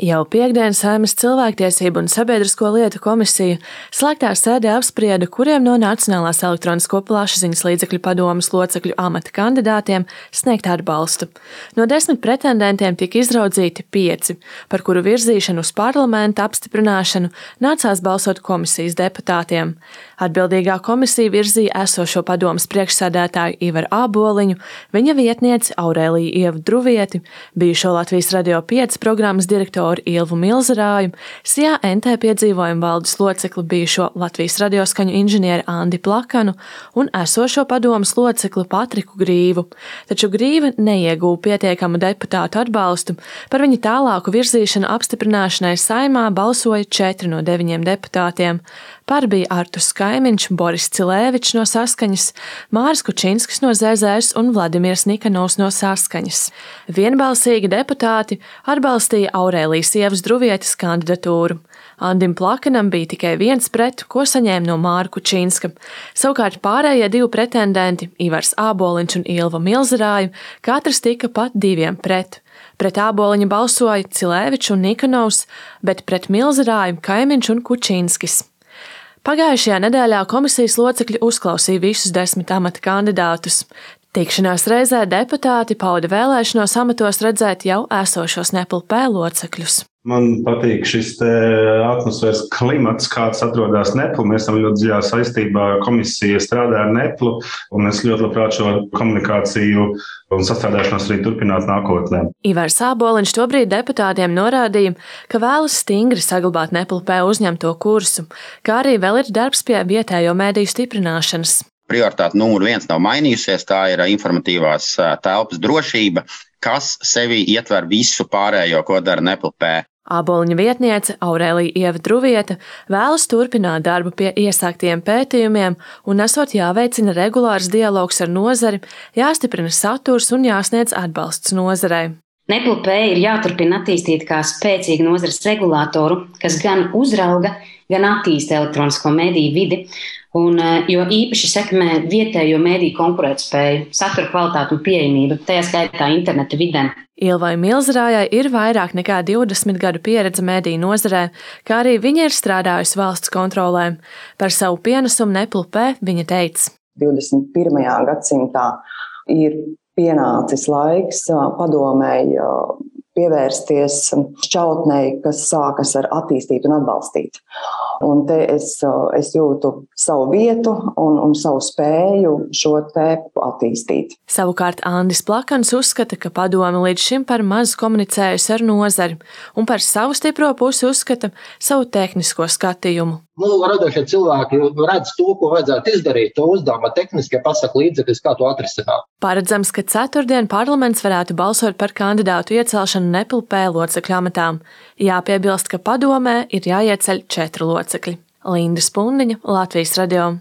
Jau piektdien Saeimas cilvēktiesību un sabiedrisko lietu komisija slēgtā sēdē apsprieda, kuriem no Nacionālās elektronisko plašsaziņas līdzekļu padomes locekļu amata kandidātiem sniegt atbalstu. No 10 pretendentiem tika izraudzīti 5, par kuru virzīšanu uz parlamenta apstiprināšanu nācās balsot komisijas deputātiem. Atbildīgā komisija virzīja esošo padomes priekšsēdētāju Ivaru Āboliņu, viņa vietnieci Aurēliju Ievu Druvieti, bijušo Latvijas Radio 5 programmas direktoru Ilvu Milzerāju, SIA NT piedzīvojumu valdes locekli bijušo Latvijas radioskaņu inženieri Andi Plakanu un esošo padomes locekli Patriku Grīvu. Taču Grīva neieguva pietiekamu deputātu atbalstu, par viņa tālāku virzīšanu apstiprināšanai Saeimā balsoja 4 no 9 deputātiem. Par bija Arturs Kaimiņš, Boris Cilēvičs no Saskaņas, Māris Kučinskis no ZZS un Vladimirs Nikanovs no Saskaņas. Vienbalsīgi deputāti atbalstīja Aurēlijas Ievas Druvietes kandidatūru. Andim Plakanam bija tikai 1 pret, ko saņēma no Māra Kučinska. Savukārt pārējie 2 pretendenti, Ivars Āboliņš un Ilva Milzerāju, katrs tika pat 2 pret. Pret Āboliņa balsoja Cilēvičs un Nikanovs, bet pret Milzerāju Kaimiņš un Kučinskis. Pagājušajā nedēļā komisijas locekļi uzklausīja visus 10 amata kandidātus. Tikšanās reizē deputāti pauda vēlēšanos amatos redzēt jau esošos NEPLP locekļus. Man patīk šis atmosfēras klimats, kāds atrodas NEPL. Mēs esam ļoti dziļā saistībā, komisija strādā ar NEPL, un es ļoti labprāt šo komunikāciju un sastrādāšanos arī turpināt nākotnē. Ivars Āboliņš tobrīd deputātiem norādīja, ka vēlas stingri saglabāt NEPLP uzņemto kursu, kā arī vēl ir darbs pie vietējo mediju stiprināšanas. Prioritāte numur 1 nav mainījusies, tā ir informatīvās telpas drošība, kas sevi ietver visu pārējo, ko dara NEPLP. Āboliņa vietniece Aurēlija Ieva Druviete vēlas turpināt darbu pie iesāktiem pētījumiem un esot jāveicina regulārs dialogs ar nozari, jāstiprina saturs un jāsniedz atbalsts nozarei. NEPLP ir jāturpina attīstīt kā spēcīgu nozares regulātoru, kas gan uzrauga, gan attīsta elektronisko mediju vidi, jo īpaši sekmē vietējo mediju konkurētspēju, satura kvalitāti un pieejamību, tajā skaitā interneta vidē. Ilvai Milzerājai ir vairāk nekā 20 gadu pieredze mediju nozarē, kā arī viņa ir strādājusi valsts kontrolē. Par savu pienesumu NEPLP viņa teica: 21. gadsimtā ir pienācis laiks padomēji pievērsties šķautnei, kas sākas ar attīstīt un atbalstīt. Un te es jūtu savu vietu un savu spēju šo te attīstīt. Savukārt Andis Plakans uzskata, ka padome līdz šim par maz komunicējusi ar nozari un par savu stipro pusi uzskata savu tehnisko skatījumu. Radošie cilvēki redz to, ko vajadzētu izdarīt, to uzdevuma tehniskie pasaka līdzekļus, kā to atrisināt. Paredzams, ka ceturtdien parlaments varētu balsot par kandidātu iecelšanu NEPLP locekļu amatām. Jāpiebilst, ka padomē ir jāieceļ 4 locekļi. Linda Spundiņa, Latvijas Radio.